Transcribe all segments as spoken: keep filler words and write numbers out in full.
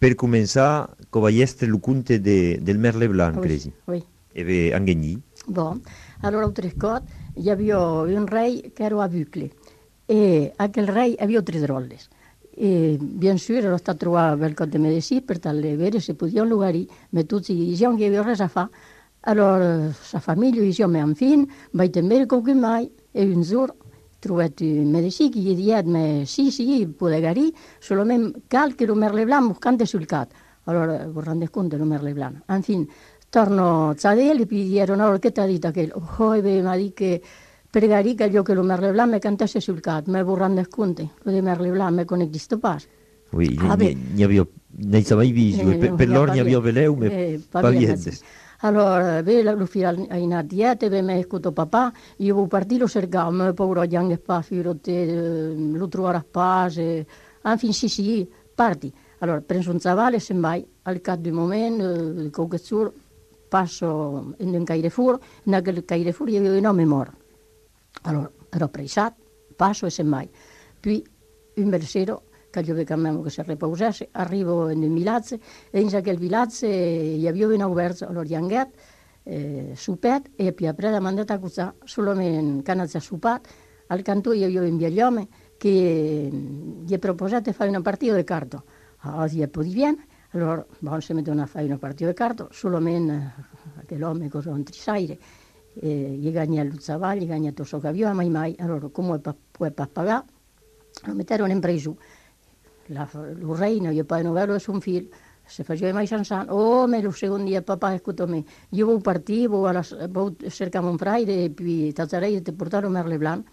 Per començar, covallestre el conte de, del Merle Blanc, Oui, cresi. oui. E ve Anghegni. Bon, allora un trescot hi havia un rei que era aveugle e aquel rei havia tres drolles. E bien sûr era stato trovato quel cot de medici per tal de vedere se podia un lugari, ma tutti dicevano che aveva res a fa. Allora sa famiglia diceva, ma infine, vai a vedere come mai, e un giorno trovato un medici che gli diceva, ma sì, sì, può guarire, solamente cal che lo Merle Blanc buscante sul cat. Allora, vi rendete conto del Merle Blanc? Infine, torno a Zadel e gli dicono, allora, che ti ha detto aquel? Oh, e mi ha detto che pregarí que io che lo Merle Blanc mi cantasse sul cat, ma vi rendete conto? Lo di Merle Blanc mi non esiste pas. Oui, Ah, beh, n'hi havia, n'hi mai visto, e eh, per, non per hi ha loro pas n'hi bien. havia veleu, ma Eh, pas pa bien, sì. viendes. Allora, ve lo filo a in dieta, ve mi escuto papà, io vo partire lo cercavo, ma paura di anche pa, filo te, lo trovare a pace, infine sì, sì, parti. Allora, preso un zavale, semmai, al cap di momento, il cocazzur, passo in un Carrefour, in quel Carrefour io avevo un nome mort. Allora, ero pressat, passo e semmai. Poi, un bel sera, che io vedevo che si riposasse, arrivo in un villaggio, e in quel villaggio hi havia un obert, allora gli anguet, eh, supet, e poi après ha mandat a cuzzare, solament que anat a sopat, al cantó hi havia un vell che gli ha proposato di fare una partita di carta. Ah, gli è poi bien, allora, bon, se mettono a fare una partita di carta, solament che l'uomo cosa un trisaire, eh, gli gagna il zavallo, gli gagna tutto ciò che aveva, mai mai, allora come può pagare, lo metterono in preso. La, lo reina, io poi non vedo un figlio, se faceva mai sanzano, oh, ma il secondo dia papà ascolta me, io volevo partire, volevo cercare un fraile e poi tazzarei ti portare un Merle Blanc.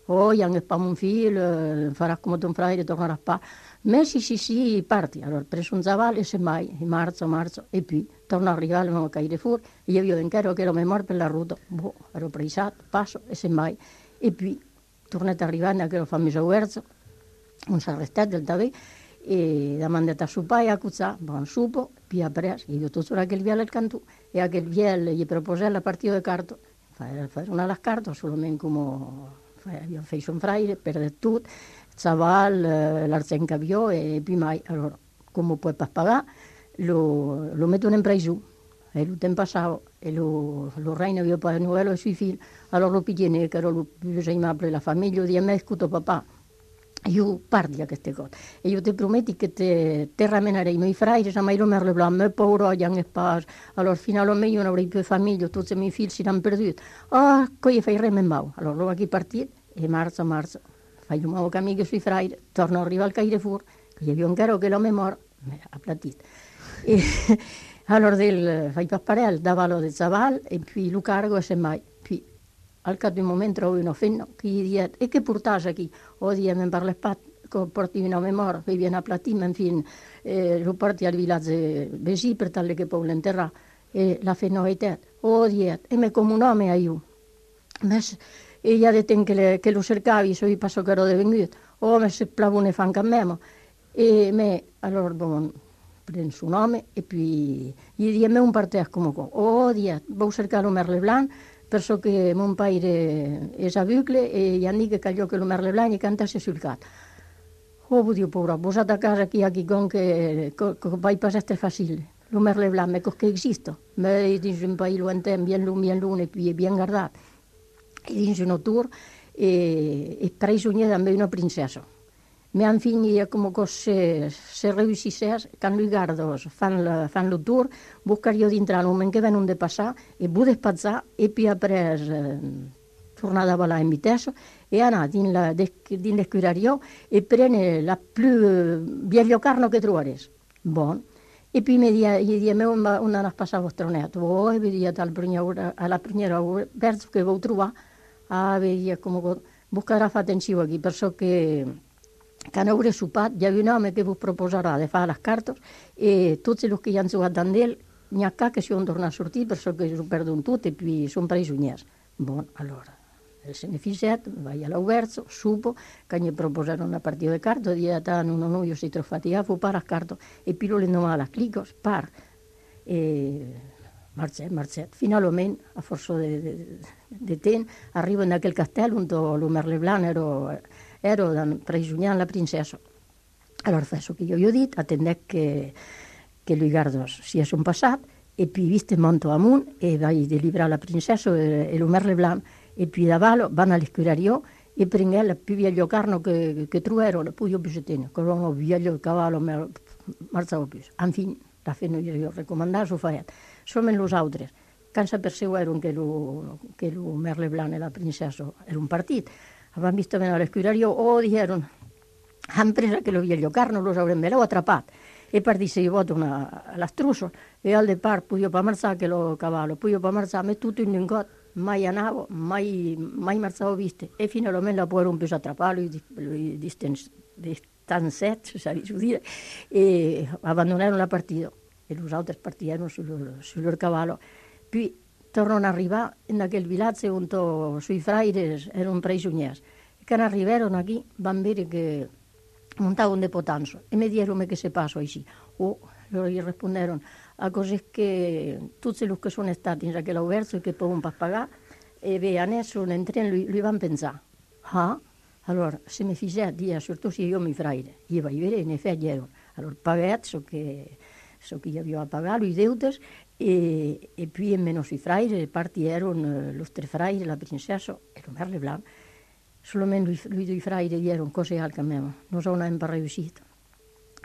Oh, io anche pa un figlio, farà come un fraile, tornerà pa. Ma sì, sì, sì, parti. Allora, preso un zavallo e semmai, in marzo, marzo, e poi torno a arrivare, non caire fuori, e io vedo in chiaro che ero memoria per la ruta, boh, ero presato, passo e semmai, e poi tornato a arrivare, anche lo fammi verso, un sarrestet del David, e l'ha mandato a sopar e a cuzzar, bon, supo, poi ha preso, io tutto aquel viale al cantù, e aquel viale gli proposè la partita di carta, fare una delle carte, solamente come abbiamo fatto un fraile, perde tutto, Zaval, eh, l'argent che aveva, e poi mai, allora, come puoi pas pagare, lo, lo mettono in preso, e il tempo passava, e lo, lo reino aveva pas novella ai suoi figli, allora lo pigliano, che era lo più aimabile della famiglia, di me, scuto papà, io parli a queste cose e io ti prometto che te, te ramenerei i miei fratelli, se mai lo Merle Blanc, me paura, gli anche pas, allora finalmente io non avrei più famiglia, tutti i miei figli si hanno perduto. Ah, poi fai re mau. Allora lo qui partito e marzo, marzo, fai un nuovo cammino sui fratelli, torno a arrivare al Carrefour, che gli avevo un caro che lo memoria, mi ha platito. E allora del, fai papparel, davalo del zaval e poi lo cargo e semmai, poi al cap d'un moment trobo una fenna che gli dice, e che portas aquí? O dia, me'n parles pas, que porti una memòria, que viene a platir, en fin, eh, lo porti al vilatge vecí per tal que pou l'enterrar. E la fenna ho dit, o dia, e me com un home a io. Mes, e ja de temps que, le, que lo cercavi, so i passo che ero devenut, o me se plavone fan que memo. E me, allora, bon, prens un home, e poi gli dice, me un partès com co. O dia, vau cercar lo Merle Blanc, perso che mon pare és aveugle e gli han dit que allò que lo Merle Blanc gli cantasse sul cat. Oh, vull dir, pobra, posat a casa aquí, aquí, con que, que, que vai pas este fàcil. Lo Merle Blanc, me cos que existe. Me dins un país lo entén, bien lum, bien lune, puis bien guardat. E dins un tour, e, e preso també una princesa. Me han finit com que se, se reussissés, quan li gardos fan, la, fan el tour, buscaria dintre el moment que venen de passar, e vull despatzar, e poi après eh, tornar a volar en vitessa, e anar dins, la, dins l'escurario e prene la più vieglio carno che trobares. Bon. E poi mi dia, gli dia, me una, una nas passava vostro netto, oh, e vedia tal prima, alla prima verso che vau trovare, ah, vedia come buscarà fa atenció aquí, perso que quan hauré sopat, hi ha un home que vos proposarà de fer les cartes i tots els que hi han jugat amb ell, n'hi ha cap que si han tornat a sortir per que s'ho perduen tot i puis són presoners. Bon, allora, el beneficiat, vaig a l'obert, supo, que gli proposarono una partita de cartes, dia tant uno no, io si trofatia, fu par les cartes, e puis lo l'endemà les clicos, par. E marxet, marxet. Finalment, a força de, de, de temps, arriben a aquell castell on el Merle Blanc era, era presonant la princesa. Allora fa que jo he dit, atendec que, que Luigardos si és un passat, e puis viste monto amunt, e vaig delibrar la princesa e, e lo merle blanc, e puis davalo van all'escurario, e prengué la più vieglio carno che, che truero, poi io bisetino, che non ho vieglio cavallo, me marzavo più. Enfin, la feno io recomandar, s'ho faet. Solament los altres, quan s'aperceueren que lo, que lo merle blanc e la princesa era un partit, van visto venir all'escurario, o dijeron, han presa que lo vieglio carno, los haurem me l'ho atrapat. E per dir se io voto una, l'astruso, e al depart puio pa marzare che lo cavallo, puio pa marzare, me tutto in un got, mai anavo, mai, mai marzavo viste, e fino almeno la può più attraparlo, lui distanzet, se sabi dire, e abbandonarono la partita, e los altres partirono sul, sul loro cavallo. Poi tornano a arrivare in aquel villaggio on sui fraires erano prigionieri, e quando arrivarono qui van vedere che montaban de potanzo, e mi dijeron che se pasó així. O loro gli risponderono a cose che tutti los che sono stati in aquella verso e che poi per pagare, e vean eso, entren, lui, lui van pensare, ah, allora, se mi fece dire, soprattutto se io mi fraire, io vaig vedere, in effetti erano, allora, pagat, so che, so che io avevo pagato i deutes, e, e poi in meno sui fraire, partieron los tre fraire, la princesa e lo merle blanc. Solamente lui, lui due fraire dieron cose al camino, non sono sempre riuscito.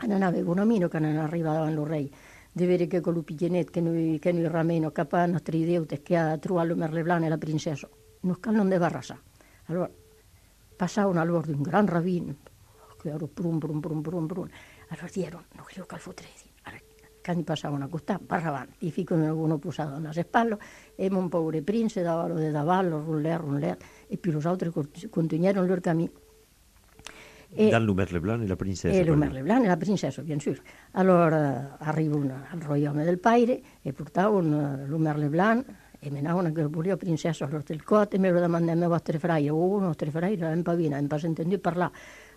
Non avevo un amico che non arrivava al re, di vedere che con il picchienet che noi, che noi rameno, capà nostri deute, che ha trovato il merle blanc e la princesa, non non deve arrasare. Allora, passavano allora un gran ravino, che era brum, brum, brum, brum, brum. Allora dieron, non credo che al fotredi. Quando passavano a costare, parlavano, i figli uno posato alle spalle, e un povero prince davalo de davallo, ruller, ruller, e poi los altri continuarono il loro cammino. Dans le merle blanc e la princesa. E il merle blanc e la princesa, bien sûr. Allora arrivano al roiome del paire e portavano il merle blanc e menavano che volia princesa allora del cot, e me lo domandavano a vostre fraie, o oh, nostre fraie non pavina, non pas entendu parlare.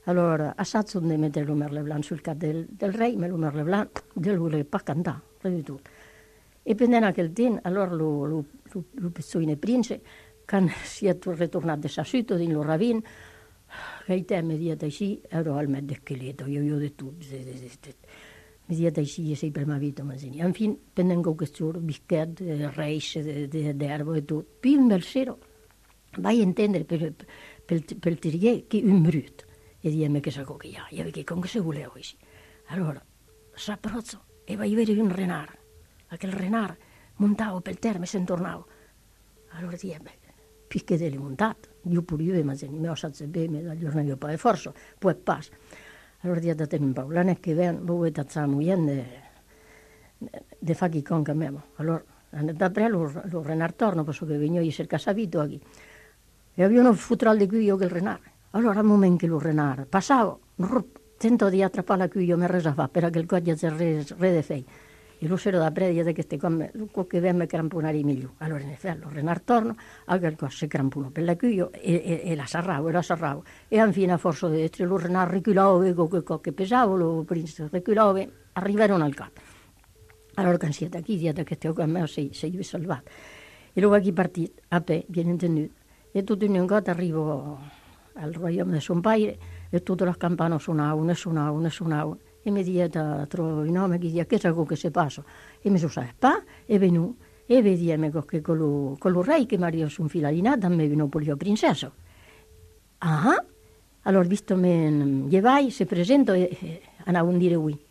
Allora, assaig de mettere il merle blanc sul cap del, del re, ma il merle blanc del voler pas cantare, res di tutto. E pendent aquel temps, allora lo, lo, lo, lo pizzone prince, quan si è ritornato da Sassuto, din lo ravin, che i te mi diet així, ero al met d'esqueleto, io io de tot, mi diet així, e sei per ma vita, ma en fin, pendent que questo bisquet, reis, d'erba e tot. Puis un bel sero, vaig entendre per, per, per terrier che un brut, e diem che sa che ja, ja che con che se voleu així. Allora, s'approzzo, e vaig vedere un renard, aquel renard montavo pel terme e se'n tornava. Allora diem, puis che l'he montat, io pure io, ma se ne me ho saps bé, me da giorno io pa forza, poi pas. Allora dia da tenim pau, l'anè che ven, voi tazza muien de, de fa chi con che memo. Allora, d'après lo, lo renard torno, perché che vegno io cerca sabito qui. E avevano futral di qui io che il renard. Allora, al momento che lo renard passavo, tento di attrappare la qui io mi resa fa, per che il coglia c'è re, re de fei. E lo sero da predi che ste come che vemme cramponare meglio. Allora in effetti lo renard torno, a quel cosa si crampono per la cuio e, e, e la sarravo, e la sarravo. E infine a forza di essere lo renard reculava, con quel co che pesavo, lo prince reculava, arrivarono al capo. Allora quando siete qui, dite che te ho con me, sei, sei salvato. E lo va chi partito, a pe, bien entenduto. E tutto in un gatto arrivo al roiome di son padre, e tutte le campane suonavano, e suonavano, e suonavano. E mi dieta trovo il nome che dice che sa che si passa. E mi sono pa e venu e vediamo che con lo, con lo re che Maria su un filalinata mi venu per la princesa. Ah, allora visto me llevai, si presento e, e andavo a dire lui.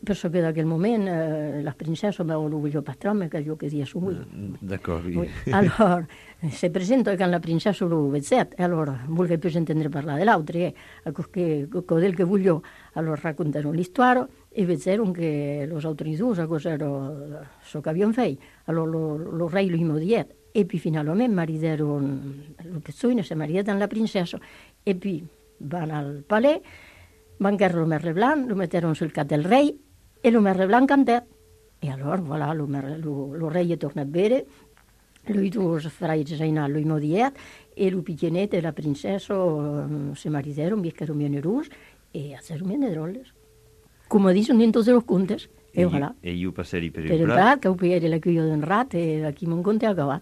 Perché da quel momento eh, la princesa mi aveva voluto patrone che io che dia su lui. D'accordo. Oui. Allora, si presento che la princesa lo vedete, e allora vuole più intendere parlare dell'altro, e che del che voglio, allora raccontarono l'histoire e vedevano che los altri due cos'era so che abbiamo fatto. Allora lo, lo re lo immodiet, e poi finalmente maridarono lo pezzone, si maridarono la princesa, e poi vanno al palais, van a lo merle blanc, lo metterono sul cap del re, e lo merle blanc cantò. E allora, voilà, lo, lo, lo re torna a bere, lui due fraiti Zainal, lui modiet, e lo picchienet e la princesa um, se maridarono, viscarono bien rus, e hicieron bien de drolles. Come dicono in tutti i contes, e voilà. E io passerei per il Per il prat. prat, che ho pigliato la cuglio d'un rat, e aquí mon conte ha acabat.